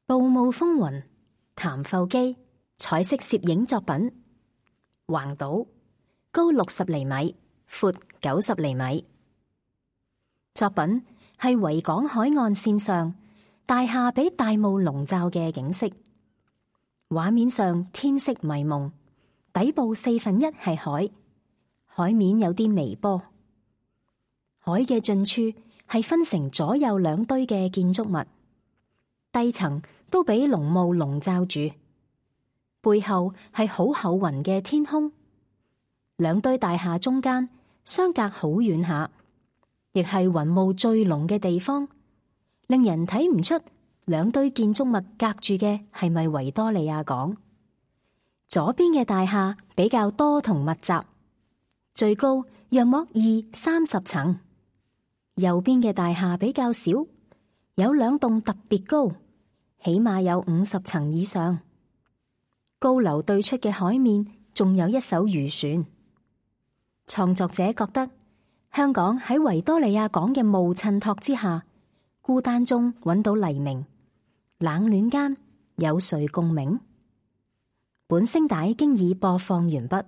暴霧風雲，譚阜基彩色攝影作品。橫島，高60厘米，闊90厘米。作品係維港海岸線上大廈被大霧籠罩嘅景色，畫面上天色迷蒙，底部1/4係海，海面有啲微波。海嘅盡處係分成左右兩堆嘅建築物，低層都俾濃霧籠罩住，背後係好厚雲嘅天空。兩堆大廈中間相隔好遠下，亦係雲霧最濃嘅地方，令人睇唔出兩堆建築物隔住嘅係咪維多利亞港。左邊嘅大廈比較多同密集，最高約莫20-30層，右邊嘅大廈比較少，有2棟特別高，起碼有50層以上。高樓對出嘅海面仲有一艘漁船。創作者覺得香港喺維多利亞港嘅霧襯托之下，孤單中揾到黎明，冷暖間有誰共鳴？本聲帶經已播放完畢。